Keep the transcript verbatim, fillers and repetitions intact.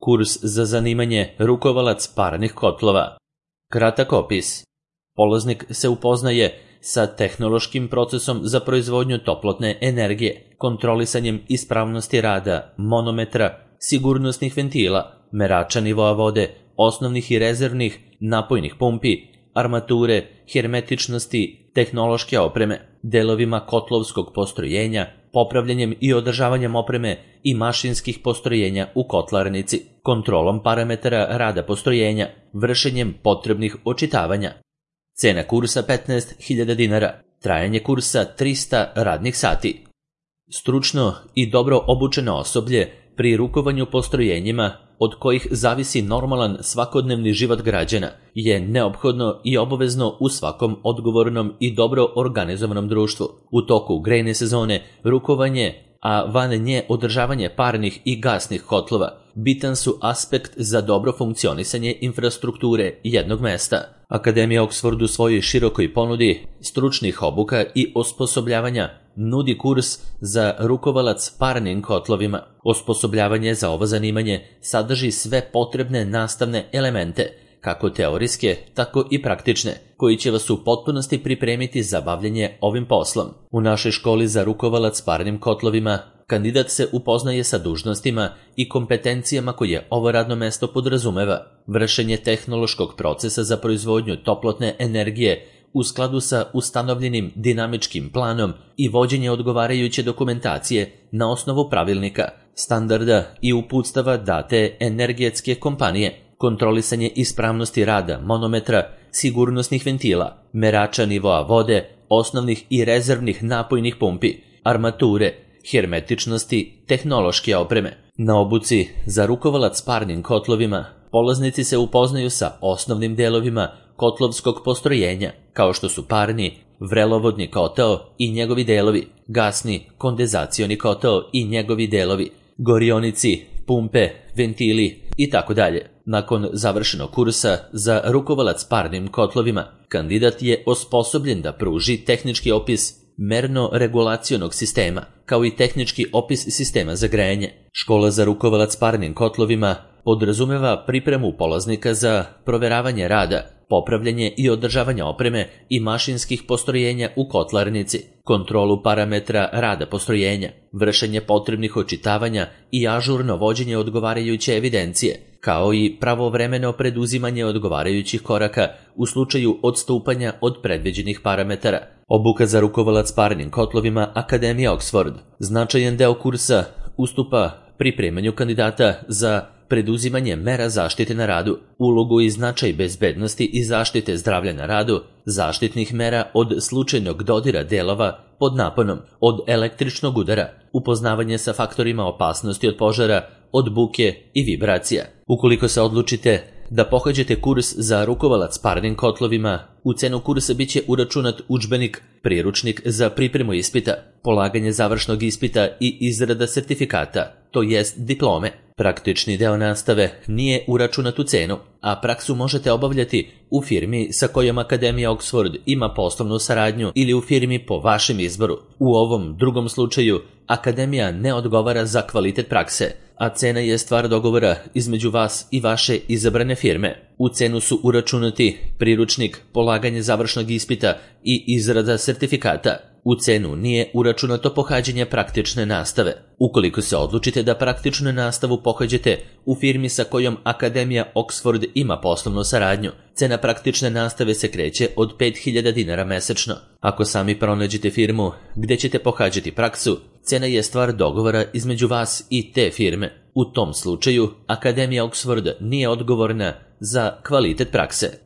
Kurs za zanimanje rukovalac parnih kotlova. Kratak opis. Polaznik se upoznaje sa tehnološkim procesom za proizvodnju toplotne energije, kontrolisanjem ispravnosti rada, monometra, sigurnosnih ventila, merača nivoa vode, osnovnih i rezervnih napojnih pumpi, armature, hermetičnosti, tehnološke opreme, delovima kotlovskog postrojenja, popravljanjem i održavanjem opreme i mašinskih postrojenja u kotlarnici, kontrolom parametara rada postrojenja, vršenjem potrebnih očitavanja. Cena kursa petnaest hiljada dinara, trajanje kursa trista radnih sati. Stručno i dobro obučeno osoblje pri rukovanju postrojenjima od kojih zavisi normalan svakodnevni život građana je neophodno i obavezno u svakom odgovornom i dobro organizovanom društvu. U toku grejne sezone rukovanje, a van nje održavanje parnih i gasnih kotlova bitan su aspekt za dobro funkcionisanje infrastrukture jednog mesta. Akademija Oxford u svojoj širokoj ponudi stručnih obuka i osposobljavanja nudi kurs za rukovalac parnim kotlovima. Osposobljavanje za ovo zanimanje sadrži sve potrebne nastavne elemente, kako teorijske, tako i praktične, koji će vas u potpunosti pripremiti za bavljenje ovim poslom. U našoj školi za rukovalac parnim kotlovima kandidat se upoznaje sa dužnostima i kompetencijama koje ovo radno mesto podrazumeva. Vršenje tehnološkog procesa za proizvodnju toplotne energije u skladu sa ustanovljenim dinamičkim planom i vođenje odgovarajuće dokumentacije na osnovu pravilnika, standarda i uputstava date energetske kompanije, kontrolisanje ispravnosti rada monometra, sigurnosnih ventila, merača nivoa vode, osnovnih i rezervnih napojnih pumpi, armature, hermetičnosti, tehnološke opreme. Na obuci za rukovalac parnim kotlovima polaznici se upoznaju sa osnovnim delovima kotlovskog postrojenja, kao što su parni, vrelovodni kotao i njegovi delovi, gasni, kondenzacioni kotao i njegovi delovi, gorionici, pumpe, ventili i tako dalje. Nakon završenog kursa za rukovalac parnim kotlovima, kandidat je osposobljen da pruži tehnički opis merno-regulacionog sistema, kao i tehnički opis sistema za grejanje. Škola za rukovalac parnim kotlovima podrazumeva pripremu polaznika za proveravanje rada, popravljanje i održavanje opreme i mašinskih postrojenja u kotlarnici, kontrolu parametra rada postrojenja, vršenje potrebnih očitavanja i ažurno vođenje odgovarajuće evidencije, kao i pravovremeno preduzimanje odgovarajućih koraka u slučaju odstupanja od predviđenih parametara. Obuka za rukovalac parnim kotlovima Akademija Oxford. Značajan deo kursa ustupa pripremanju kandidata za preduzimanje mera zaštite na radu, ulogu i značaj bezbednosti i zaštite zdravlja na radu, zaštitnih mera od slučajnog dodira delova pod naponom, od električnog udara, upoznavanje sa faktorima opasnosti od požara, od buke i vibracija. Ukoliko se odlučite da pohađate kurs za rukovalac parnim kotlovima, u cenu kursa biće uračunat udžbenik, priručnik za pripremu ispita, polaganje završnog ispita i izrada sertifikata, to jest diplome. Praktični deo nastave nije uračunat u cenu, a praksu možete obavljati u firmi sa kojom Akademija Oxford ima poslovnu saradnju ili u firmi po vašem izboru. U ovom drugom slučaju Akademija ne odgovara za kvalitet prakse, a cena je stvar dogovora između vas i vaše izabrane firme. U cenu su uračunati priručnik, polaganje završnog ispita i izrada sertifikata. U cenu nije uračunato pohađanje praktične nastave. Ukoliko se odlučite da praktičnu nastavu pohađate u firmi sa kojom Akademija Oxford ima poslovnu saradnju, cena praktične nastave se kreće od pet hiljada dinara mesečno. Ako sami pronađete firmu gde ćete pohađati praksu, cena je stvar dogovora između vas i te firme. U tom slučaju Akademija Oxford nije odgovorna za kvalitet prakse.